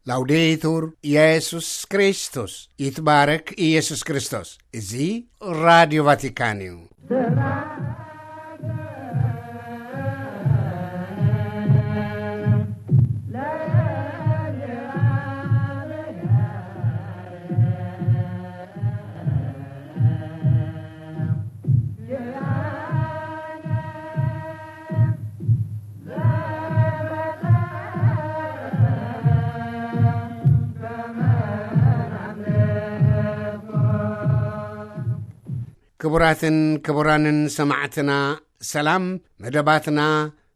ላውዴቱር ኢየሱስ ክርስቶስ፣ ይትባረክ ኢየሱስ ክርስቶስ። እዚ ራዲዮ ቫቲካን እዩ። ክቡራትን ክቡራንን ሰማዕትና፣ ሰላም። መደባትና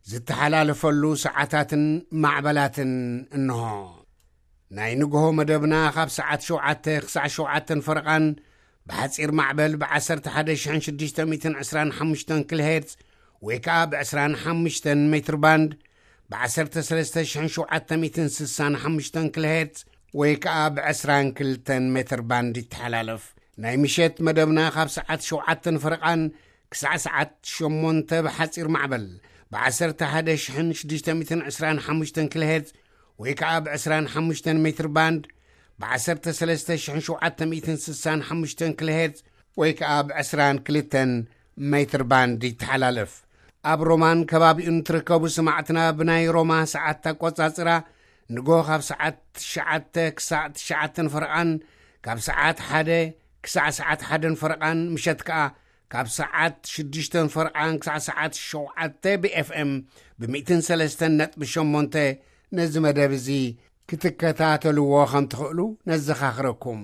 ዝተሓላለፈሉ ሰዓታትን ማዕበላትን እንሆ። ናይ ንግሆ መደብና ካብ ሰዓት ሸውዓተ ክሳዕ ሸውዓተን ፈረቓን ብሓጺር ማዕበል ብ11,625 ኪሎ ሄርዝ ወይ ከኣ ብ25 ሜትር ባንድ ብ ዓሰርተ ሰለስተ ሽሕን ሸውዓተ ሚእትን ስሳን ሓሙሽተን ኪሎ ሄርዝ ወይ ከኣ ብ22 ሜትር ባንድ ይተሓላለፍ። ናይ ምሸት መደብና ካብ ሰዓት ሸውዓተን ፈረቓን ክሳዕ ሰዓት ሸሞንተ ብሓጺር ማዕበል ብ11,625 ኪሎ ሄርዝ ወይ ከኣ ብ25 ሜትር ባንድ ብ13,765 ኪሎ ሄርዝ ወይ ከኣ ብ22 ሜትር ባንድ ይተሓላለፍ። ኣብ ሮማን ከባቢኡን ትርከቡ ሰማዕትና፣ ብናይ ሮማ ሰዓት ኣቆጻጽራ ንጎ ካብ ሰዓት ትሽዓተ ክሳዕ ትሽዓተን ፈረቓን፣ ካብ ሰዓት ሓደ ክሳዕ ሰዓት ሓደን ፈረቓን፣ ምሸት ከኣ ካብ ሰዓት ሽዱሽተን ፈረቓን ክሳዕ ሰዓት ሸውዓተ ብ ኤፍ ኤም ብ103.8 ነዚ መደብ እዚ ክትከታተልዎ ከም ትኽእሉ ነዘኻኽረኩም።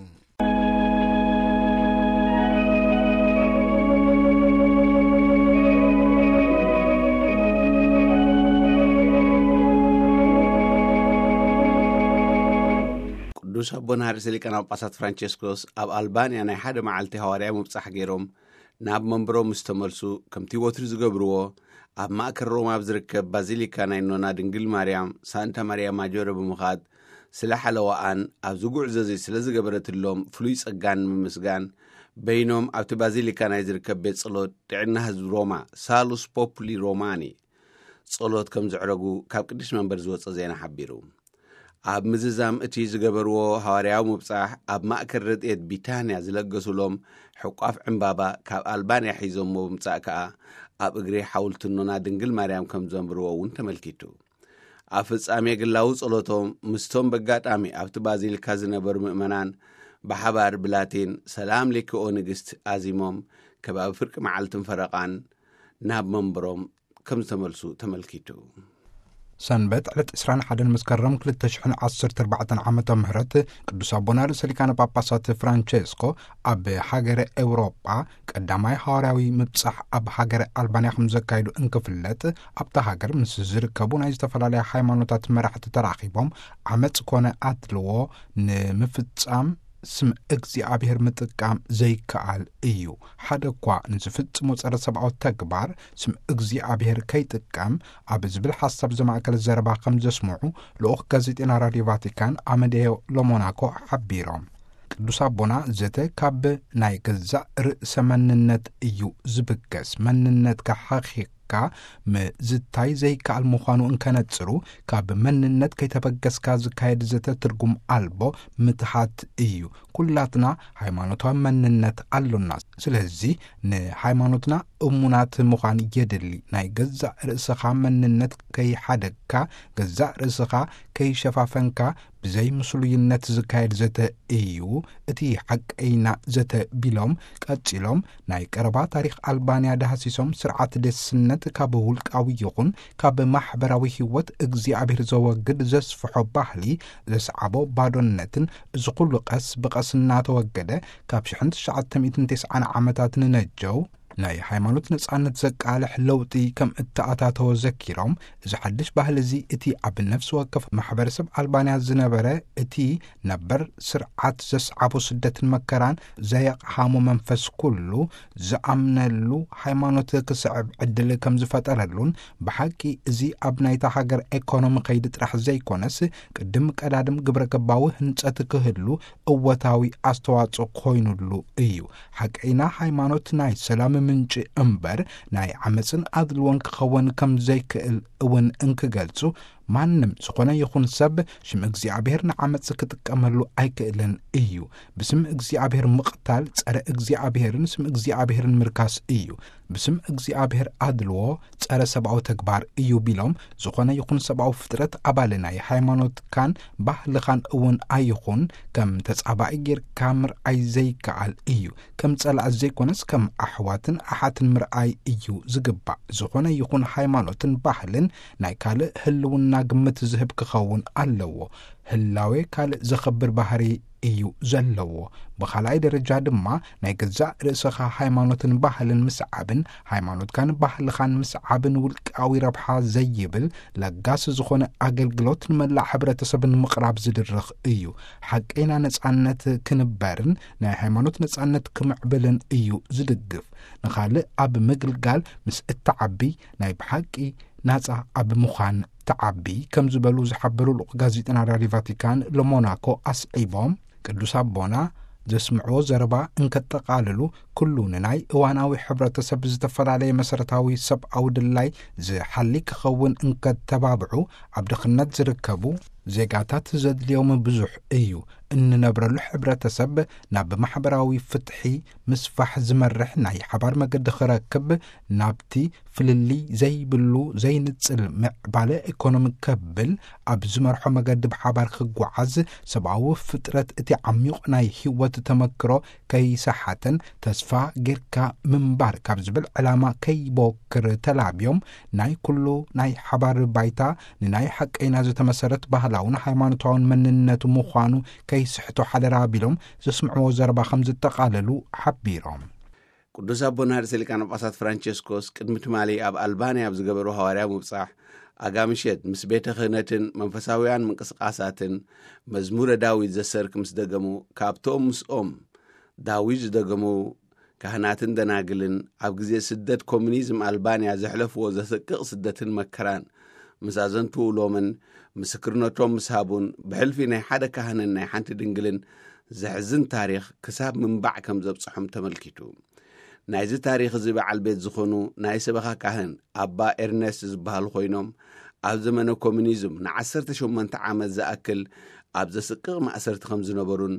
ቅዱስ ኣቦና ርእሰ ሊቃነ ጳጳሳት ፍራንቸስኮስ ኣብ ኣልባንያ ናይ ሓደ መዓልቲ ሃዋርያዊ ምብጻሕ ገይሮም ናብ መንበሮም ምስ ተመልሱ፣ ከምቲ ወትሩ ዝገብርዎ፣ ኣብ ማእከል ሮማ ኣብ ዝርከብ ባዚሊካ ናይ ኖና ድንግል ማርያም፣ ሳንታ ማርያ ማጆረ ብምኻድ፣ ስለ ሓለዋኣን ኣብዚ ጉዕዞ እዚ ስለ ዝገበረትሎም ፍሉይ ጸጋን ንምምስጋን፣ በይኖም ኣብቲ ባዚሊካ ናይ ዝርከብ ቤት ጸሎት ጥዕና ህዝቢ ሮማ፣ ሳሉስ ፖፑሊ ሮማኒ፣ ጸሎት ከም ዘዕረጉ ካብ ቅዱስ መንበር ዝወጸ ዜና ሓቢሩ። ኣብ ምዝዛም እቲ ዝገበርዎ ሃዋርያዊ ምብጻሕ፣ ኣብ ማእከል ረድኤት ቢታንያ ዝለገሱሎም ሕቋፍ ዕምባባ ካብ ኣልባንያ ሒዞሞ ብምጻእ ከኣ፣ ኣብ እግሪ ሓውልቲ ኖና ድንግል ማርያም ከም ዘንብርዎ እውን ተመልኪቱ። ኣብ ፍጻሜ ግላዊ ጸሎቶም፣ ምስቶም በጋጣሚ ኣብቲ ባዚሊካ ዝነበሩ ምእመናን ብሓባር ብላቲን «ሰላም ሌኪ ኦ ንግስት» ኣዚሞም፣ ከባቢ ፍርቂ መዓልትን ፈረቓን ናብ መንበሮም ከም ዝተመልሱ ተመልኪቱ። ሰንበት ዕለት ዕስራን ሓደን መስከረም ክልተ ሽሕን ዓሰርተ ኣርባዕተን ዓመተ ምህረት፣ ቅዱስ ኣቦና ርእሰ ሊቃነ ጳጳሳት ፍራንቸስኮ ኣብ ሃገረ ኤውሮጳ ቀዳማይ ሃዋርያዊ ምብጻሕ ኣብ ሃገረ ኣልባንያ ከም ዘካየዱ እንክፍለጥ፣ ኣብታ ሃገር ምስ ዝርከቡ ናይ ዝተፈላለያ ሃይማኖታት መራሕቲ ተራኺቦም፣ ዓመጽ ኮነ ኣድልዎ ንምፍጻም ስም እግዚኣብሔር ምጥቃም ዘይከኣል እዩ። ሓደ እኳ ንዝፍጽሞ ጸረ ሰብኣዊ ተግባር ስም እግዚኣብሔር ከይጥቀም ኣብ ዝብል ሓሳብ ዘማእከለ ዘረባ ከም ዘስምዑ ልኡኽ ጋዜጠና ራድዮ ቫቲካን ኣመዴዮ ሎሞናኮ ሓቢሮም። ቅዱስ ኣቦና፣ ዘተ ካብ ናይ ገዛእ ርእሰ መንነት እዩ ዝብገስ። መንነትካ ሓኺኽካ ምዝታይ ዘይከኣል ምዃኑ እንከነጽሩ፣ ካብ መንነት ከይተበገስካ ዝካየድ ዘተ ትርጉም ኣልቦ ምትሃት እዩ። ኩላትና ሃይማኖታዊ መንነት ኣሎና። ስለዚ ንሃይማኖትና እሙናት ምዃን የድሊ። ናይ ገዛእ ርእስኻ መንነት ከይሓደግካ፣ ገዛእ ርእስኻ ከይሸፋፈንካ፣ ብዘይ ምስሉይነት ዝካየድ ዘተ እዩ እቲ ሓቀይና ዘተ ቢሎም፣ ቀጺሎም ናይ ቀረባ ታሪኽ ኣልባንያ ዳህሲሶም፣ ስርዓት ደስነት ካብ ውልቃዊ ይኹን ካብ ማሕበራዊ ህይወት እግዚኣብሔር ዘወግድ ዘስፍሖ ባህሊ ዘስዓቦ ባዶነትን፣ እዚ ኩሉ ቀስ ብቐስ እናተወገደ ካብ ሽሕን ትሽዓተ ሚእትን ተስዓን ዓመታት ንነጀው ናይ ሃይማኖት ነጻነት ዘቃልሕ ለውጢ ከም እተኣታተወ ዘኪሮም፣ እዚ ሓድሽ ባህሊ እዚ እቲ ኣብ ነፍሲ ወከፍ ማሕበረሰብ ኣልባንያ ዝነበረ እቲ ነበር ስርዓት ዘስዓቦ ስደትን መከራን ዘየቕሃሞ መንፈስ ኩሉ ዝኣምነሉ ሃይማኖት ክስዕብ ዕድል ከም ዝፈጠረሉን፣ ብሓቂ እዚ ኣብ ናይታ ሃገር ኤኮኖሚ ከይዲ ጥራሕ ዘይኮነስ፣ ቅድም ቀዳድም ግብረ ገባዊ ህንጸት ክህሉ እወታዊ ኣስተዋጽኦ ኮይኑሉ እዩ። ሓቀይና ሃይማኖት ናይ ሰላም ምንጪ እምበር ናይ ዓመጽን ኣድልዎን ክኸውን ከም ዘይክእል እውን እንክገልጹ፣ ማንም ዝኾነ ይኹን ሰብ ሽም እግዚኣብሔር ንዓመፅ ክጥቀመሉ ኣይክእልን እዩ። ብስም እግዚኣብሔር ምቕታል ጸረ እግዚኣብሔርን ስም እግዚኣብሔርን ምርካስ እዩ። ብስም እግዚኣብሔር ኣድልዎ ጸረ ሰብኣዊ ተግባር እዩ ቢሎም፣ ዝኾነ ይኹን ሰብኣዊ ፍጥረት ኣባል ናይ ሃይማኖትካን ባህልኻን እውን ኣይኹን ከም ተጻባኢ ጌርካ ምርኣይ ዘይከኣል እዩ። ከም ጸላእ ዘይኮነስ ከም ኣሕዋትን ኣሓትን ምርኣይ እዩ ዝግባእ። ዝኾነ ይኹን ሃይማኖትን ባህልን ናይ ካልእ ህልውና ግምት ዝህብ ክኸውን ኣለዎ። ህላዌ ካልእ ዘኸብር ባህሪ እዩ ዘለዎ። ብኻልኣይ ደረጃ ድማ ናይ ገዛእ ርእስኻ ሃይማኖትን ባህልን ምስዓብን ሃይማኖትካን ባህልኻን ምስዓብን ውልቃዊ ረብሓ ዘይብል ለጋስ ዝኾነ ኣገልግሎት ንመላእ ሕብረተሰብ ንምቕራብ ዝድርኽ እዩ። ሓቀይና ነጻነት ክንበርን ናይ ሃይማኖት ነጻነት ክምዕብልን እዩ ዝድግፍ። ንኻልእ ኣብ ምግልጋል ምስ እትዓቢ ናይ ብሓቂ ናጻ ኣብ ምዃን ትዓቢ ከም ዝበሉ ዝሓበሩ ልኡኽ ጋዜጠና ራድዮ ቫቲካን ለሞናኮ ኣስዒቦም፣ ቅዱስ ኣቦና ዘስምዕዎ ዘረባ እንከጠቓልሉ፣ ኩሉ ንናይ እዋናዊ ሕብረተሰብ ዝተፈላለየ መሰረታዊ ሰብኣዊ ድላይ ዝሓሊ ክኸውን እንከተባብዑ፣ ኣብ ድኽነት ዝርከቡ ዜጋታት ዘድልዮም ብዙሕ እዩ። እንነብረሉ ሕብረተሰብ ናብ ማሕበራዊ ፍትሒ ምስፋሕ ዝመርሕ ናይ ሓባር መገዲ ክረክብ፣ ናብቲ ፍልልይ ዘይብሉ ዘይንጽል ምዕባለ ኢኮኖሚ ከብል፣ ኣብ ዝመርሖ መገዲ ብሓባር ክጓዓዝ፣ ሰብኣዊ ፍጥረት እቲ ዓሚቕ ናይ ህይወት ተመክሮ ከይሰሓተን ተስፋ ጌርካ ምንባር ካብ ዝብል ዕላማ ከይቦክር ተላብዮም፣ ናይ ኩሉ ናይ ሓባር ባይታ ንናይ ሓቀይና ዝተመሰረት ባህላውን ሃይማኖታውን መንነቱ ምዃኑ ከይስሕቶ ሓደራ ኣቢሎም ዘስምዕዎ ዘረባ ከም ዝጠቓለሉ ሓቢሮም። ቅዱስ ኣቦና ርእሰ ሊቃነ ጳጳሳት ፍራንቸስኮስ ቅድሚ ትማሊ ኣብ ኣልባንያ ኣብ ዝገበሩ ሃዋርያ ምብጻሕ፣ ኣጋ ምሸት ምስ ቤተ ክህነትን መንፈሳውያን ምንቅስቃሳትን መዝሙረ ዳዊት ዘሰርክ ምስ ደገሙ፣ ካብቶም ምስኦም ዳዊት ዝደገሙ ካህናትን ደናግልን ኣብ ግዜ ስደት ኮሙኒዝም ኣልባንያ ዘሕለፍዎ ዘሰቅቕ ስደትን መከራን ምስ ኣዘንትውሎምን ምስክርነቶም ምስ ሃቡን፣ ብሕልፊ ናይ ሓደ ካህንን ናይ ሓንቲ ድንግልን ዘሕዝን ታሪኽ ክሳብ ምንባዕ ከም ዘብጽሖም ተመልኪቱ። ናይዚ ታሪኽ እዚ በዓል ቤት ዝኾኑ ናይ ሰበኻ ካህን ኣባ ኤርነስት ዝበሃሉ ኮይኖም፣ ኣብ ዘመነ ኮሙኒዝም ንዓሰርተ ሸሞንተ ዓመት ዝኣክል ኣብ ዘስቅቕ ማእሰርቲ ከም ዝነበሩን፣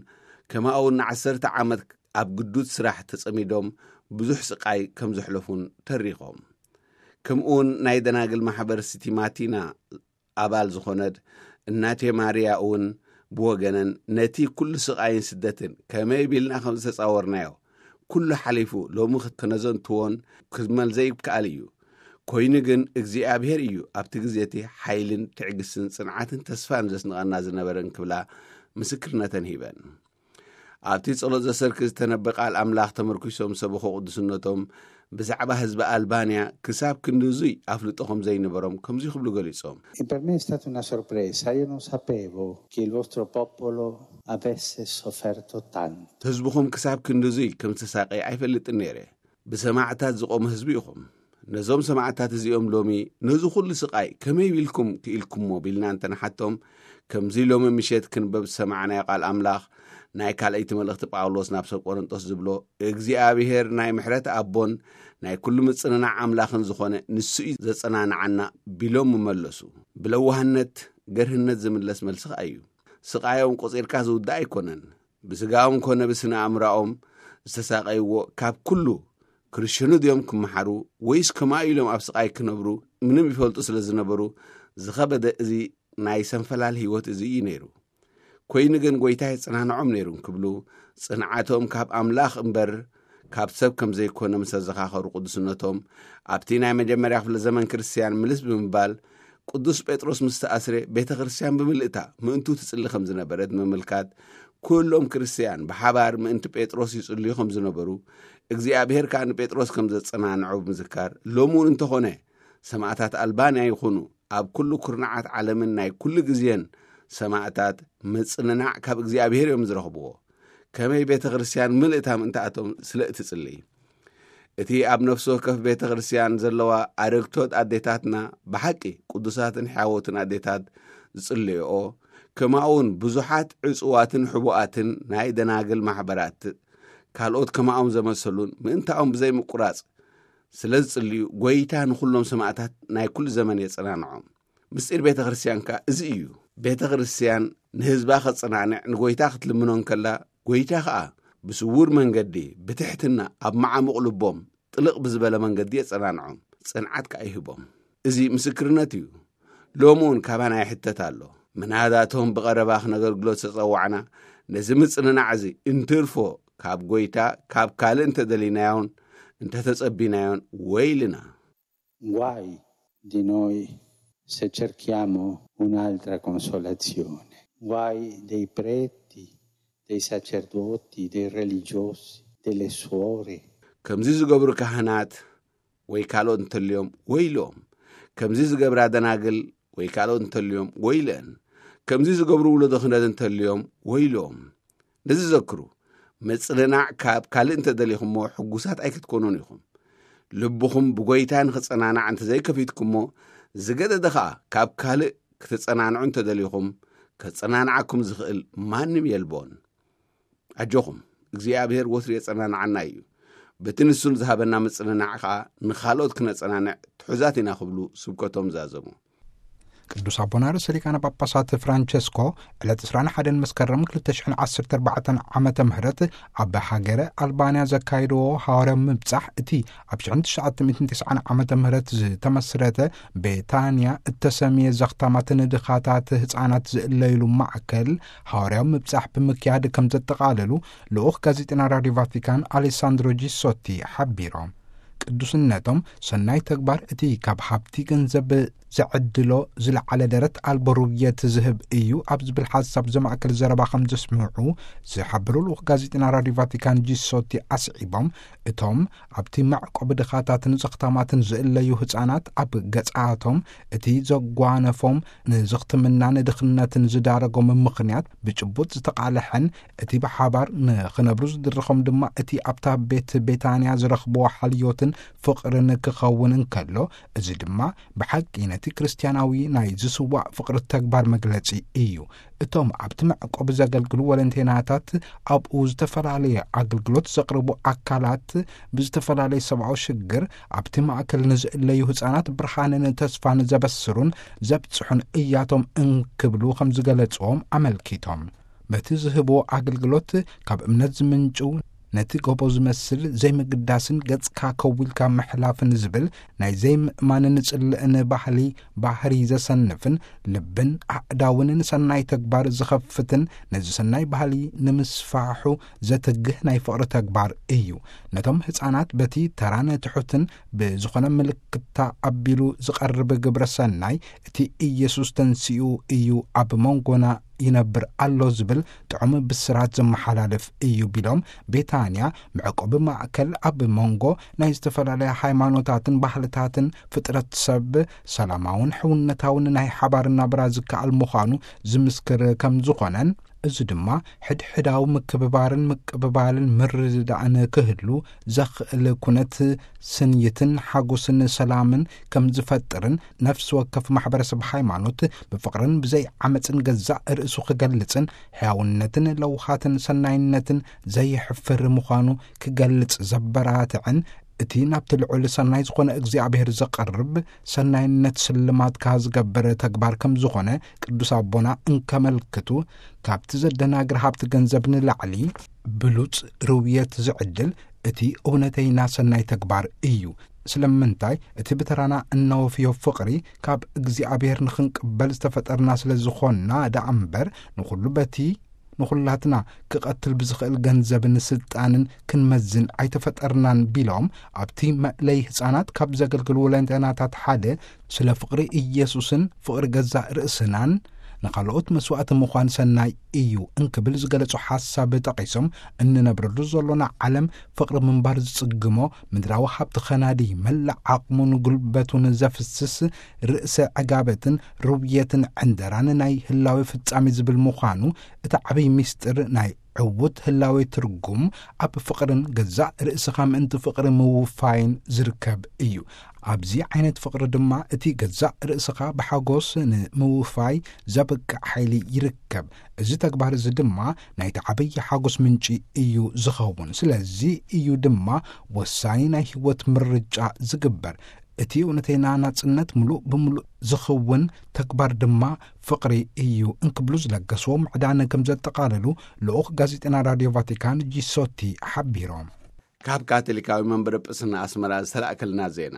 ከማኡ እውን ንዓሰርተ ዓመት ኣብ ግዱድ ስራሕ ተጸሚዶም ብዙሕ ስቓይ ከም ዘሕለፉን ተሪኾም። ከምኡውን ናይ ደናግል ማሕበር ሲቲ ማቲና ኣባል ዝኾነት እናቴ ማርያ እውን ብወገነን፣ ነቲ ኩሉ ስቓይን ስደትን ከመይ ቢልና ከም ዝተጻወርናዮ ኩሉ ሓሊፉ ሎሚ ክነዘንትዎን ክመል ዘይከኣል እዩ። ኮይኑ ግን እግዚኣብሔር እዩ ኣብቲ ግዜ እቲ ሓይልን ትዕግስትን ጽንዓትን ተስፋን ዘስንቐና ዝነበረ እንክብላ ምስክርነተን ሂበን። ኣብቲ ጸሎት ዘሰርክ ዝተነበ ቃል ኣምላኽ ተመርኪሶም ሰበኹ ቅዱስነቶም ብዛዕባ ህዝቢ ኣልባንያ ክሳብ ክንድዙይ ኣፍልጦ ከም ዘይነበሮም ከምዚ ክብሉ ገሊጾም። E per me è stata una sorpresa, io non sapevo che il vostro popolo avesse sofferto tanto. ህዝብኹም ክሳብ ክንድዙይ ከም ዝተሳቀየ ኣይፈልጥን ነይረ። ብሰማዕታት ዝቆመ ህዝቢ ኢኹም። ነዞም ሰማዕታት እዚኦም ሎሚ ነዚ ኩሉ ስቃይ ከመይ ኢልኩም ክኢልኩሞ ቢልና እንተንሓቶም፣ ከምዚ ሎሚ ምሸት ክንበብ ዝሰማዕናዮ ቃል ኣምላኽ ናይ ካልኣይቲ መልእኽቲ ጳውሎስ ናብ ሰብ ቆሮንጦስ ዝብሎ፣ እግዚኣብሔር ናይ ምሕረት ኣቦን ናይ ኩሉ ምጽንናዕ ኣምላኽን ዝኾነ ንሱ እዩ ዘጸናንዓና ቢሎም ምመለሱ። ብለዋህነት ገርህነት ዝምለስ መልሲ ከኣ እዩ። ስቃዮም ቆጺርካ ዝውዳእ ኣይኮነን። ብስጋኦም ኮነ ብስነ ኣእምራኦም ዝተሳቀይዎ ካብ ኩሉ ክርስትያኑ ድዮም ክመሓሩ ወይስ ከማኡ ኢሎም ኣብ ስቃይ ክነብሩ ምንም ይፈልጡ ስለ ዝነበሩ ዝኸበደ እዚ ናይ ሰንፈላል ህይወት እዚ እዩ ነይሩ። ኮይኑ ግን ጎይታ የጸናንዖም ነይሩ እንክብሉ ጽንዓቶም ካብ ኣምላኽ እምበር ካብ ሰብ ከም ዘይኮነ ምስ ኣዘኻኸሩ ቅዱስነቶም ኣብቲ ናይ መጀመርያ ክፍለ ዘመን ክርስትያን ምልስ ብምባል ቅዱስ ጴጥሮስ ምስ ተኣስረ ቤተ ክርስትያን ብምልእታ ምእንቱ ትጽሊ ከም ዝነበረት ብምምልካት ኩሎም ክርስትያን ብሓባር ምእንቲ ጴጥሮስ ይጽልዩ ከም ዝነበሩ እግዚኣብሔር ከኣ ንጴጥሮስ ከም ዘጸናንዖ ብምዝካር ሎሚ እውን እንተኾነ ሰማእታት ኣልባንያ ይኹኑ ኣብ ኩሉ ኩርናዓት ዓለምን ናይ ኩሉ ግዜን ሰማእታት ምጽንናዕ ካብ እግዚኣብሔር እዮም ዝረኽብዎ። ከመይ ቤተ ክርስትያን ምልእታ ምእንታኣቶም ስለ እትጽሊ እቲ ኣብ ነፍሲ ወከፍ ቤተ ክርስትያን ዘለዋ ኣረግቶት ኣዴታትና ብሓቂ ቅዱሳትን ሕያዎትን ኣዴታት ዝጽልይኦ ከማኡውን ብዙሓት ዕጹዋትን ሕቡኣትን ናይ ደናግል ማሕበራት ካልኦት ከማኦም ዘመሰሉን ምእንታኦም ብዘይምቁራጽ ስለ ዝጽልዩ ጎይታ ንኹሎም ሰማእታት ናይ ኩሉ ዘመን የጸናንዖም። ምስጢር ቤተ ክርስቲያን ከኣ እዚ እዩ። ቤተ ክርስቲያን ንህዝባ ኸጸናንዕ ንጎይታ ክትልምኖ እንከላ፣ ጎይታ ኸኣ ብስውር መንገዲ ብትሕትና ኣብ መዓሙቕ ልቦም ጥልቕ ብዝበለ መንገዲ የጸናንዖም፣ ጽንዓት ከኣ ይህቦም። እዚ ምስክርነት እዩ። ሎሚ እውን ካባና ይሕተት ኣሎ። ምናልባቶም ብቐረባ ክነገልግሎ ዝተጸዋዕና፣ ነዚ ምጽንናዕ እዚ እንትርፎ ካብ ጎይታ ካብ ካልእ እንተደሊናዮን እንተተጸቢናዮን ወይልና። Guai di noi se cerchiamo un'altra consolazione. Guai dei preti, dei sacerdoti, dei religiosi, delle suore. ከምዚ ዝገብሩ ካህናት ወይ ካልኦት እንተልዮም ወይሎም። ከምዚ ዝገብራ ደናግል ወይ ካልኦት እንተልዮም ወይለን። ከምዚ ዝገብሩ ውለዶ ክህነት እንተልዮም ወይሎም። ነዚ ዘክሩ፣ ምጽንናዕ ካብ ካልእ እንተደሊኹሞ ሕጉሳት ኣይክትኮኑን ኢኹም። ልብኹም ብጎይታ ንኽጸናናዕ እንተዘይከፊትኩሞ፣ ዝገደደ ኸኣ ካብ ካልእ ክትጸናንዑ እንተደሊኹም፣ ከጸናንዓኩም ዝኽእል ማንም የልቦን። ኣጆኹም፣ እግዚኣብሔር ወትሩ የጸናንዓና እዩ። በቲ ንሱን ዝሃበና ምጽንናዕ ኸኣ ንኻልኦት ክነጸናንዕ ትሑዛት ኢና ክብሉ ስብከቶም ዛዘሙ። ቅዱስ ኣቦና ርእሰ ሊቃነ ጳጳሳት ፍራንቸስኮ ዕለት ዕስራን ሓደን መስከረም ክልተ ሽሕን ዓሰርተ ኣርባዕተን ዓመተ ምህረት ኣብ ሃገረ ኣልባንያ ዘካየድዎ ሃዋርያዊ ምብጻሕ፣ እቲ ኣብ ሽሕን ትሽዓተ ሚእትን ተስዓን ዓመተ ምህረት ዝተመስረተ ቤታንያ እተሰምየ ዘኽታማት ንድኻታት ህጻናት ዝእለይሉ ማዕከል ሃዋርያዊ ምብጻሕ ብምክያድ ከም ዘጠቓለሉ ልኡኽ ጋዜጠና ራድዮ ቫቲካን ኣሌሳንድሮ ጂሶቲ ሓቢሮም። ቅዱስነቶም ሰናይ ተግባር እቲ ካብ ሃብቲ ገንዘብ ዘዕድሎ ዝለዓለ ደረት ኣልቦ ርውየት ዝህብ እዩ ኣብ ዝብል ሓሳብ ዘማእከል ዘረባ ከም ዘስምዑ ዝሓበሩ ልኡኽ ጋዜጠና ራድዮ ቫቲካን ጂሶቲ ኣስዒቦም፣ እቶም ኣብቲ መዕቆቢ ድኻታትን ዘኽታማትን ዝእለዩ ህጻናት ኣብ ገጻቶም እቲ ዘጓነፎም ንዘኽትምናን ድኽነትን ዝዳረጎም ምኽንያት ብጭቡጥ ዝተቓልሐን እቲ ብሓባር ንኽነብሩ ዝድርኾም ድማ እቲ ኣብታ ቤት ቤታንያ ዝረኽብዎ ሓልዮትን ፍቕርን ክኸውን እንከሎ፣ እዚ ድማ ብሓቂ ነቲ ክርስትያናዊ ናይ ዝስዋእ ፍቕሪ ተግባር መግለጺ እዩ። እቶም ኣብቲ መዕቆቢ ዘገልግሉ ወለንቴናታት ኣብኡ ዝተፈላለየ ኣገልግሎት ዘቕርቡ ኣካላት ብዝተፈላለየ ሰብኣዊ ሽግር ኣብቲ ማእከል ንዝእለዩ ህጻናት ብርሃንን ተስፋን ዘበስሩን ዘብጽሑን እያቶም እንክብሉ ከም ዝገለጽዎም ኣመልኪቶም። በቲ ዝህብዎ ኣገልግሎት ካብ እምነት ዝምንጭው ነቲ ጎቦ ዝመስል ዘይምግዳስን ገጽካ ከዊልካ ምሕላፍን ዝብል ናይ ዘይምእማንን ጽልእን ባህሊ ባህሪ ዘሰንፍን ልብን ኣእዳውን ንሰናይ ተግባር ዝኸፍትን ነዚ ሰናይ ባህሊ ንምስፋሑ ዘትግህ ናይ ፍቕሪ ተግባር እዩ። ነቶም ህጻናት በቲ ተራን ትሑትን ብዝኾነ ምልክታ ኣቢሉ ዝቐርብ ግብረ ሰናይ እቲ ኢየሱስ ተንሲኡ እዩ ኣብ መንጎና ይነብር ኣሎ ዝብል ጥዑም ብስራት ዘመሓላልፍ እዩ ቢሎም፣ ቤታንያ መዕቆቢ ማእከል ኣብ መንጎ ናይ ዝተፈላለያ ሃይማኖታትን ባህልታትን ፍጥረት ሰብ ሰላማውን ሕውነታውን ናይ ሓባር ናብራ ዝከኣል ምዃኑ ዝምስክር ከም ዝኾነን፣ እዚ ድማ ሕድሕዳዊ ምክብባርን ምቅብባልን ምርድዳእን ክህሉ ዘኽእል ኩነት ስንይትን ሓጎስን ሰላምን ከም ዝፈጥርን፣ ነፍሲ ወከፍ ማሕበረሰብ ሃይማኖት ብፍቕርን ብዘይ ዓመፅን ገዛእ ርእሱ ክገልጽን ሕያውነትን ለውሃትን ሰናይነትን ዘይሕፍር ምዃኑ ክገልጽ ዘበራትዕን፣ እቲ ናብቲ ልዑል ሰናይ ዝኾነ እግዚኣብሔር ዘቐርብ ሰናይነት ስልማትካ ዝገብር ተግባር ከም ዝኾነ ቅዱስ ኣቦና እንከመልክቱ፣ ካብቲ ዘደናግር ሃብቲ ገንዘብ ንላዕሊ ብሉጽ ርውየት ዝዕድል እቲ እውነተይና ሰናይ ተግባር እዩ። ስለምንታይ እቲ ብተራና እነወፍዮ ፍቕሪ ካብ እግዚኣብሔር ንኽንቅበል ዝተፈጠርና ስለ ዝኾንና ደኣ እምበር፣ ንኹሉ በቲ ንኹላትና ክቐትል ብዝኽእል ገንዘብን ስልጣንን ክንመዝን ኣይተፈጠርናን ቢሎም፣ ኣብቲ መእለይ ህፃናት ካብ ዘገልግሉ ወለንተናታት ሓደ ስለ ፍቕሪ ኢየሱስን ፍቕሪ ገዛእ ርእስናን ንኻልኦት መስዋእቲ ምዃን ሰናይ እዩ እንክብል ዝገለጹ ሓሳብ ጠቒሶም፣ እንነብረሉ ዘሎና ዓለም ፍቕሪ ምንባር ዝጽግሞ፣ ምድራዊ ሃብቲ ኸናዲ፣ መላእ ዓቕሙን ጉልበቱን ዘፍስስ፣ ርእሰ ዕጋበትን ርውየትን ዕንደራን ናይ ህላዌ ፍጻሜ ዝብል ምዃኑ፣ እቲ ዓብይ ምስጢር ናይ ዕዉት ህላዌ ትርጉም ኣብ ፍቕርን ገዛእ ርእስኻ ምእንቲ ፍቕሪ ምውፋይን ዝርከብ እዩ። ኣብዚ ዓይነት ፍቕሪ ድማ እቲ ገዛእ ርእስኻ ብሓጎስ ንምውፋይ ዘብቅዕ ሓይሊ ይርከብ። እዚ ተግባር እዚ ድማ ናይቲ ዓብይ ሓጎስ ምንጪ እዩ ዝኸውን። ስለዚ እዩ ድማ ወሳኒ ናይ ህይወት ምርጫ ዝግበር። እቲ እውነተና ናጽነት ምሉእ ብምሉእ ዝኸውን ተግባር ድማ ፍቕሪ እዩ እንክብሉ ዝለገስዎ ምዕዳን ከም ዘጠቓለሉ ልኡኽ ጋዜጠና ራድዮ ቫቲካን ጂሶቲ ሓቢሮም። ካብ ካቶሊካዊ መንበረ ጵስና ኣስመራ ዝተላእከልና ዜና።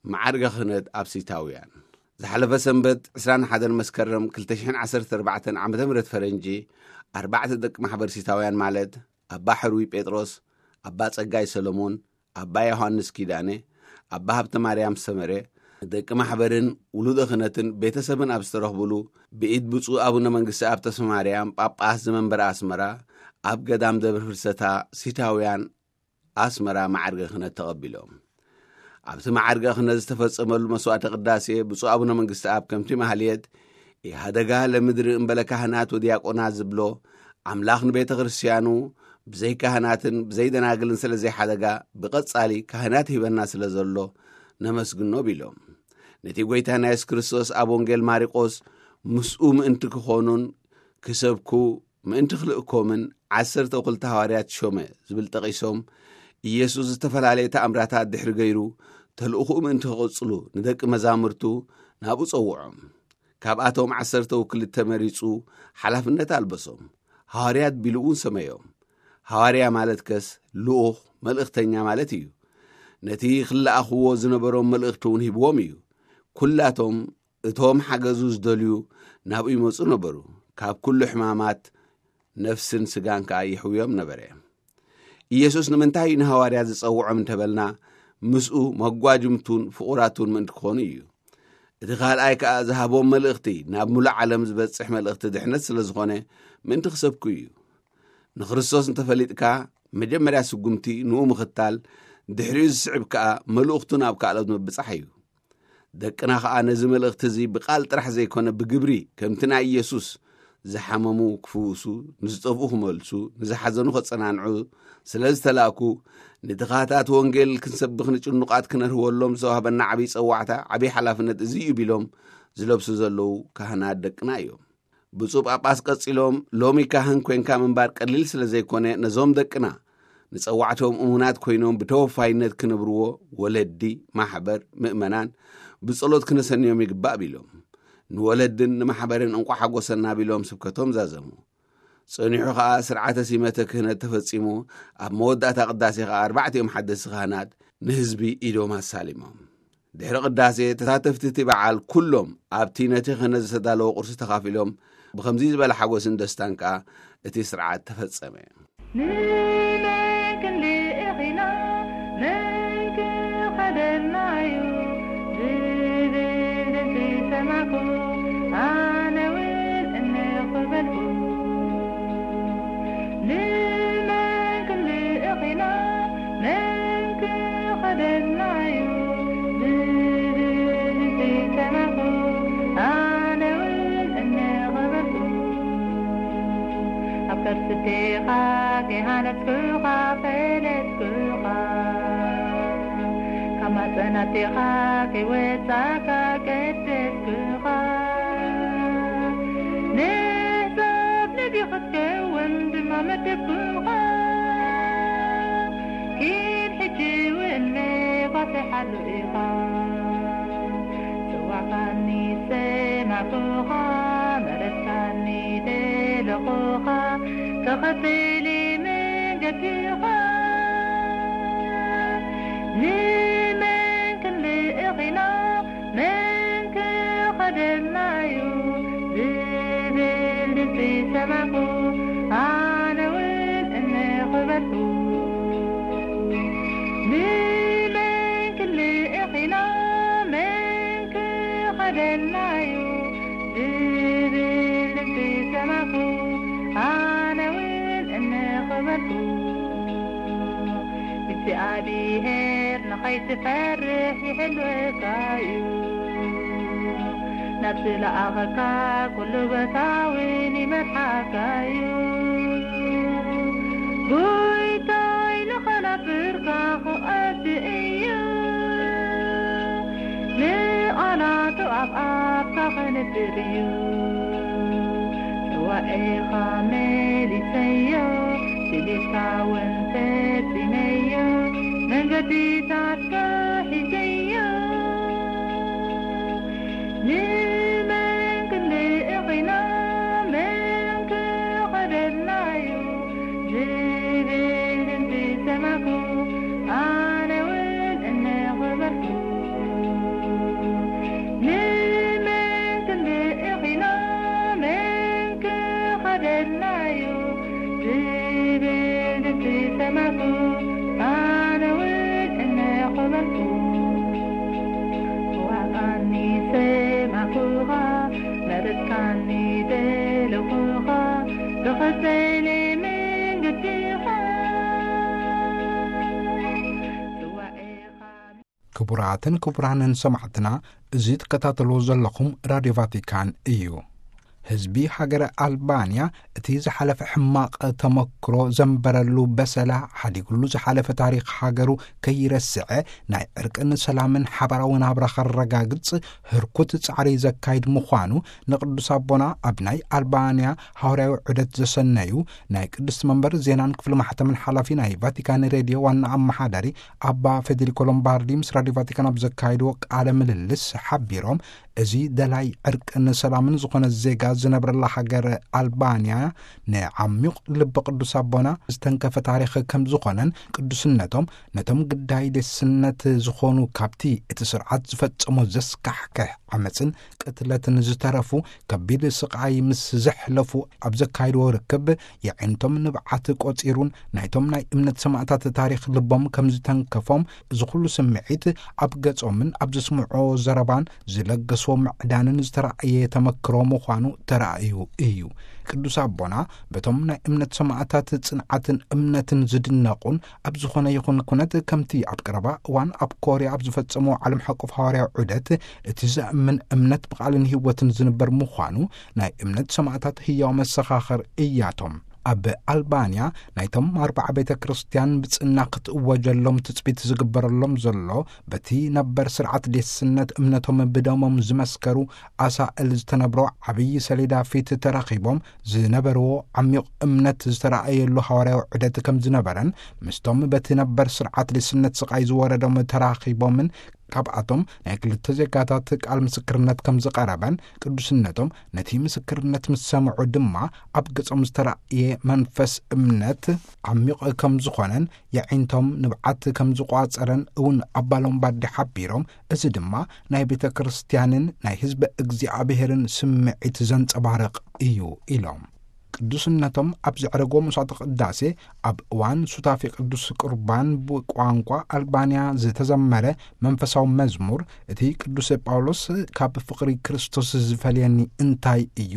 መዓርገ ክህነት ኣብ ሲታውያን። ዝሓለፈ ሰንበት ዕስራን ሓደን መስከረም ክልተ ሽሕን ዓሰርተ ኣርባዕተን ዓመተ ምህረት ፈረንጂ፣ ኣርባዕተ ደቂ ማሕበር ሲታውያን ማለት ኣባ ሕሩይ ጴጥሮስ፣ ኣባ ጸጋይ ሰሎሞን፣ ኣባ ዮሃንስ ኪዳነ፣ ኣባ ሃብተ ማርያም ሰመረ፣ ደቂ ማሕበርን ውሉደ ክህነትን ቤተሰብን ኣብ ዝተረኽብሉ፣ ብኢድ ብፁዕ ኣቡነ መንግስቲ ኣብ ተስፋ ማርያም ጳጳስ ዘመንበረ ኣስመራ፣ ኣብ ገዳም ደብረ ፍልሰታ ሲታውያን ኣስመራ መዓርገ ክህነት ተቐቢሎም። ኣብቲ መዓርገ ክህነት ዝተፈጸመሉ መስዋዕተ ቅዳሴ ብፁዕ ኣቡነ መንግስቲ ኣብ ከምቲ ማህልየት ኢሃደጋ ለምድሪ እምበለ ካህናት ወዲያቆናት ዝብሎ ኣምላኽ ንቤተ ክርስቲያኑ ብዘይ ካህናትን ብዘይ ደናግልን ስለ ዘይሓደጋ ብቐጻሊ ካህናት ሂበና ስለ ዘሎ ነመስግኖ ቢሎም። ነቲ ጐይታና የሱስ ክርስቶስ ኣብ ወንጌል ማርቆስ ምስኡ ምእንቲ ክኾኑን ክሰብኩ ምእንቲ ክልእኮምን ዓሰርተ ክልተ ሃዋርያት ሾመ ዝብል ጠቒሶም፣ ኢየሱስ ዝተፈላለየ ተኣምራታት ድሕሪ ገይሩ ተልእኹኡ ምእንቲ ክቕጽሉ ንደቂ መዛሙርቱ ናብኡ ጸውዖም። ካብኣቶም ዓሰርተ ክልተ መሪጹ ሓላፍነት ኣልበሶም። ሃዋርያት ቢሉ እውን ሰመዮም። ሃዋርያ ማለት ከስ ልኡኽ መልእኽተኛ ማለት እዩ። ነቲ ክለኣኽዎ ዝነበሮም መልእኽቲ እውን ሂብዎም እዩ። ኩላቶም እቶም ሓገዙ ዝደልዩ ናብኡ ይመጹ ነበሩ። ካብ ኩሉ ሕማማት ነፍስን ስጋን ከኣ ይሕውዮም ነበረ። ኢየሱስ ንምንታይ እዩ ንሃዋርያት ዝጸውዖም እንተበልና፣ ምስኡ መጓጅምቱን ፍቑራቱን ምእንቲ ክኾኑ እዩ። እቲ ካልኣይ ከኣ ዝሃቦም መልእኽቲ ናብ ምሉእ ዓለም ዝበጽሕ መልእኽቲ ድሕነት ስለ ዝኾነ ምእንቲ ክሰብኩ እዩ። ንክርስቶስ እንተፈሊጥካ መጀመርያ ስጉምቲ ንኡ ምኽታል፣ ድሕሪኡ ዝስዕብ ከኣ መልእኽቱ ናብ ካልኦት ምብጻሕ እዩ። ደቅና ኸኣ ነዚ መልእኽቲ እዚ ብቓል ጥራሕ ዘይኮነ ብግብሪ ከምቲ ናይ ኢየሱስ ዝሓመሙ ክፍውሱ፣ ንዝጠፍኡ ክመልሱ፣ ንዝሓዘኑ ከጸናንዑ ስለ ዝተላእኩ፣ ንድኻታት ወንጌል ክንሰብኽ ንጭኑቓት ክነርህወሎም ዝተዋህበና ዓብዪ ጸዋዕታ፣ ዓብዪ ሓላፍነት እዚ እዩ ቢሎም ዝለብሱ ዘለዉ ካህናት ደቅና እዮም። ብፁዕ ጳጳስ ቀጺሎም፣ ሎሚ ካህን ኮንካ ምንባር ቀሊል ስለ ዘይኮነ፣ ነዞም ደቅና ንጸዋዕቶም እሙናት ኮይኖም ብተወፋይነት ክነብርዎ ወለዲ፣ ማሕበር፣ ምእመናን ብጸሎት ክነሰንዮም ይግባእ ቢሎም፣ ንወለድን ንማሕበርን እንቋዕ ሓጎሰና ቢሎም ስብከቶም ዛዘሙ። ጸኒሑ ኸኣ ስርዓተ ሲመተ ክህነት ተፈጺሙ፣ ኣብ መወዳእታ ቅዳሴ ኸኣ ኣርባዕቲኦም ሓደስቲ ካህናት ንህዝቢ ኢዶም ኣሳሊሞም። ድሕሪ ቅዳሴ ተሳተፍቲ እቲ በዓል ኩሎም ኣብቲ ነቲ ክህነት ዝተዳለወ ቁርሲ ተኻፊሎም፣ ብኸምዚ ዝበለ ሓጎስን ደስታን ከኣ እቲ ስርዓት ተፈጸመ። ንመን ክንልእኽ ኢና? መን ክኸደና እዩ? ዝብል ድምፂ ሰማዕኩ፣ ኣነ እውን እንኽ በልኩ። ንመን ክንልእኽ ኢና? መን ክኸደና እዩ? ዝብል ድምፂ ሰማዕኩ፣ ኣነ እውን እንኽ በልኩ። ኣብ ከርሲ ኣዴኻ ከይሃነጽኩኻ ፈለጥኩኻ፣ ካብ ማህጸን ኣዴኻ ከይወጻእካ ቀደስኩኻ። ንህጻብ ነቢ ክትከውን ድማ መደብኩኻ። ኪድ ሕጂ እውን መባጽሕ ኣሎ ኢኻ። ጽዋዕካኒ ሰማዕኩኻ፣ መረጽካኒ ደለኹኻ፣ ተኸተሊ መንገድኻ። ንመን ክንልእኽ ኢና? መን ክኸደና እዩ? ዝብል ድምፂ ሰማዕኩ፣ ኣነ እውን እንኽ በልኩ። ንመን ክንልእኽ ኢና? መን ክኸደና እዩ? ዝብል ድምፂ ሰማዕኩ፣ ኣነ እውን እንኽ በልኩ። እግዚኣብሔር ንኸይትፈርሕ ይሕልወካ እዩ። ናብ ዝለኣኸካ ኩሉ ቦታ እውን ይመርሓካ እዩ። ጎይታይ ንኸነብርካ ክቐድ እዩ። ንቓላቱ ኣብ ኣፍካ ከንብር እዩ። ጽዋኤኻ መሊሰዮ፣ ድሌትካ እውን ፈጺመዮ፣ መንገድታትካ ሒዘዮ። ዝብል ድምፂ ሰማዕኩ፣ ኣነ እውን እናኸበርኩ። ንመን ክንርኢ ኺኖ፣ መን ክኸደልና እዩ? ዝብል ድምፂ ሰማዕኩ፣ ኣነ እውን እናኸበርኩ። ዋጣኒ ሰማዕኩኻ፣ መረፅካኒ ደለኹኻ፣ ብኸሰለ መንገድኻ። ጽዋኤኻ ክቡራትን ክቡራንን ሰማዕትና፣ እዚ ትከታተልዎ ዘለኹም ራድዮ ቫቲካን እዩ። ህዝቢ ሃገረ ኣልባንያ እቲ ዝሓለፈ ሕማቕ ተመክሮ ዘንበረሉ በሰላ ሓዲጉሉ ዝሓለፈ ታሪኽ ሃገሩ ከይረስዐ ናይ ዕርቅን ሰላምን ሓባራዊ ናብራ ከረጋግጽ ህርኩት ጻዕሪ ዘካይድ ምዃኑ ንቅዱስ ኣቦና ኣብ ናይ ኣልባንያ ሃዋርያዊ ዑደት ዘሰነዩ ናይ ቅድስቲ መንበር ዜናን ክፍሊ ማሕተምን ሓላፊ ናይ ቫቲካን ሬድዮ ዋና ኣመሓዳሪ ኣባ ፌዴሪኮ ሎምባርዲ ምስ ራድዮ ቫቲካን ኣብ ዘካየድዎ ቃለ ምልልስ ሓቢሮም፣ እዚ ደላይ ዕርቅን ሰላምን ዝኾነ ዜጋ ዝነብረላ ሃገር ኣልባንያ ንዓሚቕ ልቢ ቅዱስ ኣቦና ዝተንከፈ ታሪኽ ከም ዝኾነን ቅዱስነቶም ነቶም ግዳይ ደስነት ዝኾኑ ካብቲ እቲ ስርዓት ዝፈጸሞ ዘስካሕክሕ ዓመፅን ቅትለትን ዝተረፉ ከቢድ ስቓይ ምስ ዘሕለፉ ኣብ ዘካይድዎ ርክብ የዒንቶም ንብዓት ቆጺሩን ናይቶም ናይ እምነት ሰማእታት ታሪኽ ልቦም ከም ዝተንከፎም እዚ ኩሉ ስምዒት ኣብ ገጾምን ኣብ ዘስምዖ ዘረባን ዝለገስዎ ምዕዳንን ዝተራእየ ተመክሮ ምዃኑ ተራእዩ እዩ። ቅዱስ ኣቦና በቶም ናይ እምነት ሰማእታት ጽንዓትን እምነትን ዝድነቑን ኣብ ዝኾነ ይኹን ኩነት ከምቲ ኣብ ቀረባ እዋን ኣብ ኮርያ ኣብ ዝፈጸሞ ዓለም ሓቆፍ ሃዋርያዊ ዑደት እቲ ዘእምን እምነት ብቓልን ህይወትን ዝንበር ምዃኑ ናይ እምነት ሰማእታት ህያው መሰኻኽር እያቶም። ኣብ ኣልባንያ ናይቶም ኣርባዓ ቤተ ክርስቲያን ብጽና ክትእወጀሎም ትጽቢት ዝግበረሎም ዘሎ በቲ ነበር ስርዓት ዴስነት እምነቶም ብደሞም ዝመስከሩ ኣሳእል ዝተነብሮ ዓብዪ ሰሌዳ ፊት ተራኺቦም ዝነበርዎ ዓሚቕ እምነት ዝተራእየሉ ሃዋርያዊ ዑደት ከም ዝነበረን ምስቶም በቲ ነበር ስርዓት ዴስነት ስቓይ ዝወረዶም ተራኺቦምን ካብኣቶም ናይ ክልተ ዜጋታት ቃል ምስክርነት ከም ዝቐረበን ቅዱስነቶም ነቲ ምስክርነት ምስ ሰምዑ ድማ ኣብ ገጾም ዝተራእየ መንፈስ እምነት ዓሚቕ ከም ዝኾነን የዒንቶም ንብዓት ከም ዝቋጸረን እውን ኣባ ሎምባርዲ ሓቢሮም፣ እዚ ድማ ናይ ቤተ ክርስቲያንን ናይ ህዝበ እግዚኣብሔርን ስምዒት ዘንጸባርቕ እዩ ኢሎም። ቅዱስነቶም ኣብ ዘዕረጎ መስዋዕተ ቅዳሴ ኣብ እዋን ሱታፌ ቅዱስ ቁርባን ብቋንቋ ኣልባንያ ዝተዘመረ መንፈሳዊ መዝሙር፣ እቲ ቅዱስ ጳውሎስ ካብ ፍቕሪ ክርስቶስ ዝፈልየኒ እንታይ እዩ?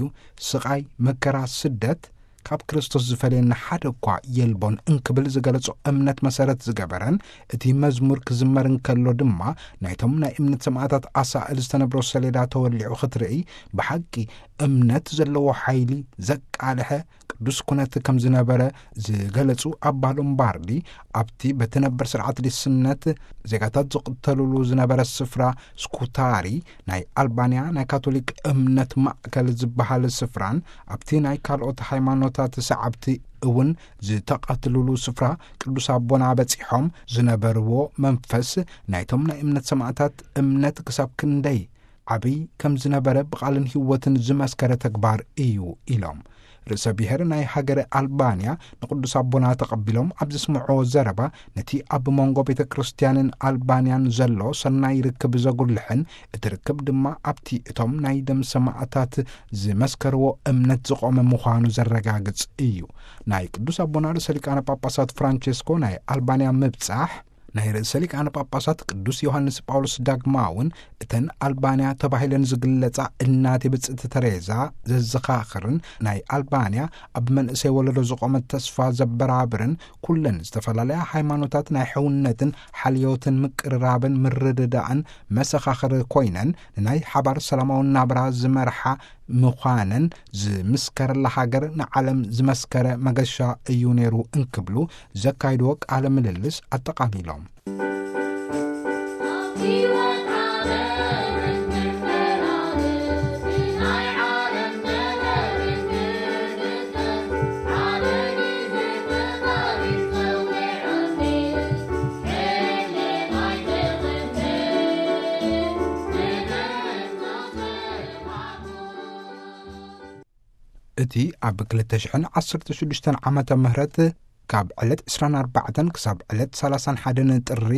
ስቓይ፣ መከራ፣ ስደት ካብ ክርስቶስ ዝፈልየኒ ሓደ እኳ የልቦን እንክብል ዝገለጾ እምነት መሰረት ዝገበረን እቲ መዝሙር ክዝመር እንከሎ ድማ ናይቶም ናይ እምነት ሰማእታት ኣሳእል ዝተነብሮ ሰሌዳ ተወሊዑ ክትርኢ ብሓቂ እምነት ዘለዎ ሓይሊ ዘቃልሐ ቅዱስ ኩነት ከም ዝነበረ ዝገለጹ ኣባ ሎምባርዲ፣ ኣብቲ በቲ ነበር ስርዓት ሊስነት ዜጋታት ዝቕተልሉ ዝነበረ ስፍራ ስኩታሪ፣ ናይ ኣልባንያ ናይ ካቶሊክ እምነት ማእከል ዝበሃል ስፍራን ኣብቲ ናይ ካልኦት ሃይማኖታት ሰዓብቲ እውን ዝተቐትልሉ ስፍራ ቅዱስ ኣቦና በጺሖም ዝነበርዎ መንፈስ ናይቶም ናይ እምነት ሰማእታት እምነት ክሳብ ክንደይ ዓብይ ከም ዝነበረ ብቓልን ህይወትን ዝመስከረ ተግባር እዩ ኢሎም። ርእሰ ብሔር ናይ ሃገረ ኣልባንያ ንቅዱስ ኣቦና ተቐቢሎም ኣብ ዘስምዕዎ ዘረባ፣ ነቲ ኣብ መንጎ ቤተ ክርስቲያንን ኣልባንያን ዘሎ ሰናይ ርክብ ዘጉልሕን እቲ ርክብ ድማ ኣብቲ እቶም ናይ ደም ሰማእታት ዝመስከርዎ እምነት ዝቖመ ምዃኑ ዘረጋግጽ እዩ። ናይ ቅዱስ ኣቦና ርእሰ ሊቃነ ጳጳሳት ፍራንቼስኮ ናይ ኣልባንያ ምብጻሕ፣ ናይ ርእሰ ሊቃነ ጳጳሳት ቅዱስ ዮሃንስ ጳውሎስ ዳግማውን እተን ኣልባንያ ተባሂለን ዝግለጻ እናቴ ብጽእቲ ተሬዛ ዘዘኻኽርን ናይ ኣልባንያ ኣብ መንእሰይ ወለዶ ዝቖመት ተስፋ ዘበራብርን ኩለን ዝተፈላለያ ሃይማኖታት ናይ ሕውነትን ሓልዮትን ምቅርራብን ምርድዳእን መሰኻኽር ኮይነን ንናይ ሓባር ሰላማዊ ናብራ ዝመርሓ ምዃነን ዝምስከረላ ሃገር ንዓለም ዝመስከረ መገሻ እዩ ነይሩ እንክብሉ ዘካይድዎ ቃለ ምልልስ ኣጠቓሊሎም። እቲ ኣብ ክልተ ሽሕን ዓሰርተ ሽዱሽተን ዓመተ ምህረት ካብ ዕለት ዕስራን ኣርባዕተን ክሳብ ዕለት ሰላሳን ሓደን ጥሪ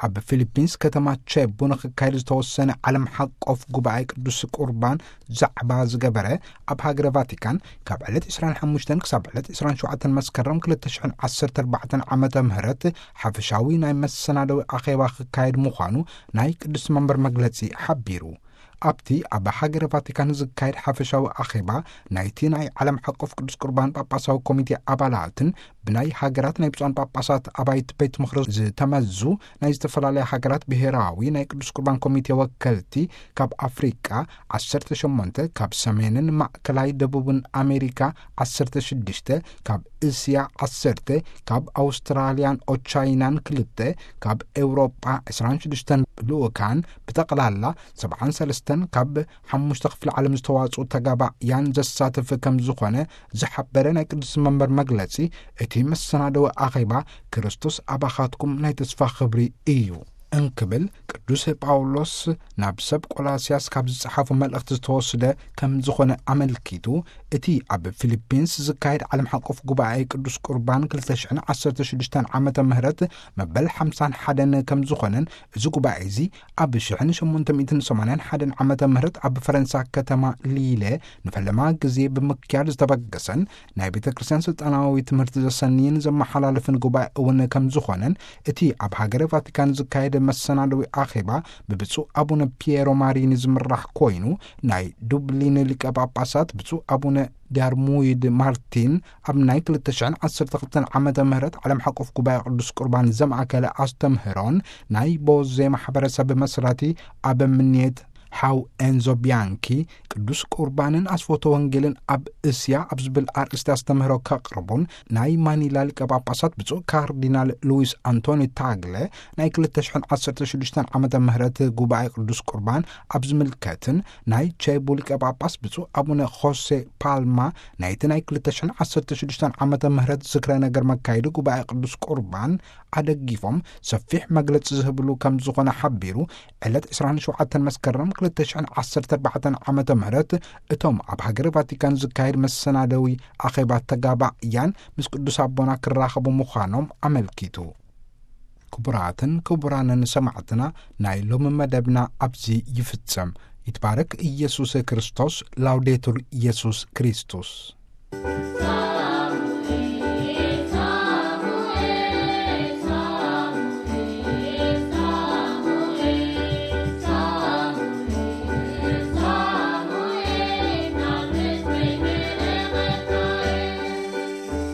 ኣብ ፊሊፒንስ ከተማ ቼቡ ንክካየድ ዝተወሰነ ዓለም ሓቆፍ ጉባኤ ቅዱስ ቁርባን ዛዕባ ዝገበረ፣ ኣብ ሃገረ ቫቲካን ካብ ዕለት ዕስራን ሓሙሽተን ክሳብ ዕለት ዕስራን ሸውዓተን መስከረም ክልተ ሽሕን ዓሰርተ ኣርባዕተን ዓመተ ምህረት ሓፈሻዊ ናይ መሰናደዊ ኣኼባ ክካየድ ምዃኑ ናይ ቅዱስ መንበር መግለጺ ሓቢሩ። ኣብቲ ኣብ ሃገረ ቫቲካን ዝካየድ ሓፈሻዊ ኣኼባ ናይቲ ናይ ዓለም ሓቆፍ ቅዱስ ቁርባን ጳጳሳዊ ኮሚቴ ኣባላትን ብናይ ሃገራት ናይ ብፁዓን ጳጳሳት ኣባይቲ ቤት ምኽሪ ዝተመዙ ናይ ዝተፈላለያ ሃገራት ብሔራዊ ናይ ቅዱስ ቁርባን ኮሚቴ ወከልቲ፣ ካብ ኣፍሪቃ ዓሰርተ ሸሞንተ፣ ካብ ሰሜንን ማእከላይ ደቡብን ኣሜሪካ ዓሰርተ ሽዱሽተ፣ ካብ እስያ ዓሰርተ፣ ካብ ኣውስትራልያን ኦቻይናን ክልተ፣ ካብ ኤውሮጳ ዕስራን ሽዱሽተን ልኡካን፣ ብጠቕላላ ሰብዓን ሰለስተን ካብ ሓሙሽተ ክፍለ ዓለም ዝተዋጽኡ ተጋባእያን ዘሳትፍ ከም ዝኾነ ዝሓበረ ናይ ቅዱስ መንበር መግለጺ፣ እቲ መሰናደዊ ኣኼባ ክርስቶስ ኣባኻትኩም ናይ ተስፋ ክብሪ እዩ እንክብል ቅዱስ ጳውሎስ ናብ ሰብ ቆላስያስ ካብ ዝጸሓፉ መልእኽቲ ዝተወስደ ከም ዝኾነ ኣመልኪቱ፣ እቲ ኣብ ፊሊፒንስ ዝካየድ ዓለም ሓቆፍ ጉባኤ ቅዱስ ቁርባን ክልተ ሽሕን ዓሰርተ ሽዱሽተን ዓመተ ምህረት መበል ሓምሳን ሓደን ከም ዝኾነን፣ እዚ ጉባኤ እዚ ኣብ ሽሕን ሸሞንተ ሚእትን ሰማንያን ሓደን ዓመተ ምህረት ኣብ ፈረንሳ ከተማ ሊለ ንፈለማ ግዜ ብምክያድ ዝተበገሰን ናይ ቤተ ክርስቲያን ስልጣናዊ ትምህርቲ ዘሰንይን ዘመሓላልፍን ጉባኤ እውን ከም ዝኾነን፣ እቲ ኣብ ሃገረ ቫቲካን ዝካየደ መሰናደዊ ኣኼባ ብብፁዕ ኣቡነ ፒየሮ ማሪኒ ዝምራሕ ኮይኑ፣ ናይ ዱብሊን ሊቀ ጳጳሳት ብፁዕ ኣቡነ ዳርሙይድ ማርቲን ኣብ ናይ ክልተ ሽሕን ዓሰርተ ክልተን ዓመተ ምህረት ዓለም ሓቆፍ ጉባኤ ቅዱስ ቁርባን ዘማእከለ ኣስተምህሮን ናይ ቦዜ ማሕበረሰብ መስራቲ ኣበምኔት ሓው ኤንዞ ቢያንኪ ቅዱስ ቁርባንን ኣስፎተ ወንጌልን ኣብ እስያ ኣብ ዝብል ኣርእስቲ ኣስተምህሮ ከቕርቡን፣ ናይ ማኒላ ሊቀ ጳጳሳት ብፁዕ ካርዲናል ሉዊስ ኣንቶኒ ታግለ ናይ ክልተ ሽሕን ዓሰርተ ሽዱሽተን ዓመተ ምህረት ጉባኤ ቅዱስ ቁርባን ኣብ ዝምልከትን፣ ናይ ቼቡ ሊቀ ጳጳስ ብፁዕ ኣቡነ ሆሴ ፓልማ ናይቲ ናይ ክልተ ሽሕን ዓሰርተ ሽዱሽተን ዓመተ ምህረት ዝክረ ነገር መካየዲ ጉባኤ ቅዱስ ቁርባን ኣደጊፎም ሰፊሕ መግለጺ ዝህብሉ ከም ዝኾነ ሓቢሩ፣ ዕለት ዕስራን ሸውዓተን መስከረም ክልተ ሽሕን ዓሰርተ ኣርባዕተን ዓመተ ምህረት እቶም ኣብ ሃገረ ቫቲካን ዝካየድ መሰናደዊ ኣኼባ ተጋባእያን ምስ ቅዱስ ኣቦና ክራኸቡ ምዃኖም ኣመልኪቱ። ክቡራትን ክቡራንን ሰማዕትና፣ ናይ ሎሚ መደብና ኣብዚ ይፍጸም። ይትባረክ ኢየሱስ ክርስቶስ። ላውዴቱር ኢየሱስ ክርስቶስ።